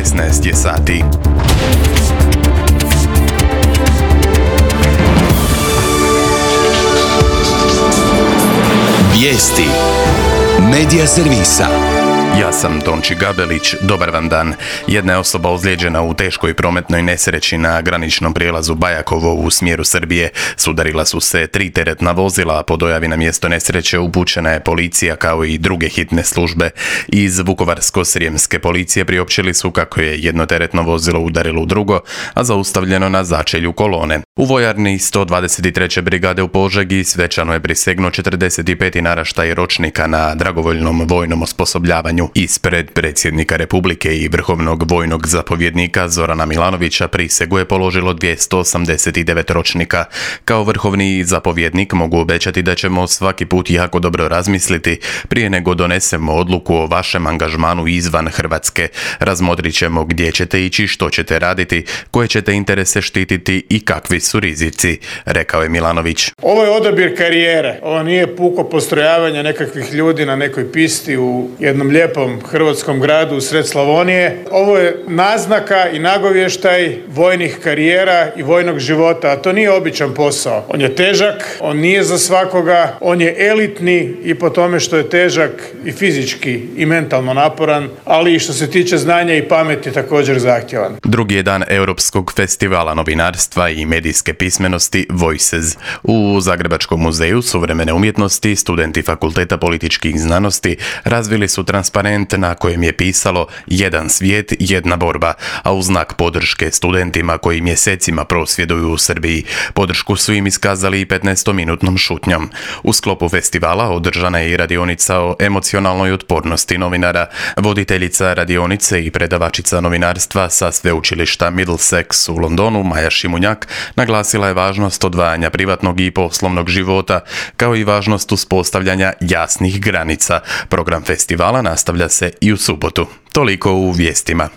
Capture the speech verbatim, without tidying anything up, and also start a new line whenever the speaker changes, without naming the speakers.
šesnaest je sati.
Vijesti Medija servisa.
Ja sam Tonči Gabelić, dobar vam dan. Jedna je osoba ozlijeđena u teškoj prometnoj nesreći na graničnom prijelazu Bajakovo u smjeru Srbije. Sudarila su se tri teretna vozila, a po dojavi na mjesto nesreće upućena je policija kao i druge hitne službe. Iz Vukovarsko-srijemske policije priopćili su kako je jedno teretno vozilo udarilo u drugo, a zaustavljeno na začelju kolone. U vojarni sto dvadeset treće brigade u Požegi svečano je prisegnuo četrdeset peti naraštaj ročnika na dragovoljnom vojnom osposobljavanju. Ispred predsjednika Republike i vrhovnog vojnog zapovjednika Zorana Milanovića prisegu je položilo dvjesto osamdeset devet ročnika. Kao vrhovni zapovjednik mogu obećati da ćemo svaki put jako dobro razmisliti prije nego donesemo odluku o vašem angažmanu izvan Hrvatske. Razmotrit ćemo gdje ćete ići, što ćete raditi, koje ćete interese štititi i kakvi su rizici, rekao je Milanović.
Ovo je odabir karijere. Ovo nije puko postrojavanje nekakvih ljudi na nekoj pisti u jednom lijepom hrvatskom gradu u sred Slavonije. Ovo je naznaka i nagovještaj vojnih karijera i vojnog života, a to nije običan posao. On je težak, on nije za svakoga, on je elitni i po tome što je težak i fizički i mentalno naporan, ali i što se tiče znanja i pameti također zahtjevan.
Drugi je dan Europskog festivala novinarstva i medijske pismenosti Voices. U Zagrebačkom muzeju suvremene umjetnosti studenti Fakulteta političkih znanosti razvili su transparent na kojem je pisalo jedan svijet, jedna borba, a u znak podrške studentima koji mjesecima prosvjeduju u Srbiji. Podršku su im iskazali i petnaestominutnom šutnjom. U sklopu festivala održana je i radionica o emocionalnoj otpornosti novinara. Voditeljica radionice i predavačica novinarstva sa sveučilišta Middlesex u Londonu, Maja Šimunjak, naglasila je važnost odvajanja privatnog i poslovnog života, kao i važnost uspostavljanja jasnih granica. Program festivala nastavlja se i u subotu. Toliko u vijestima.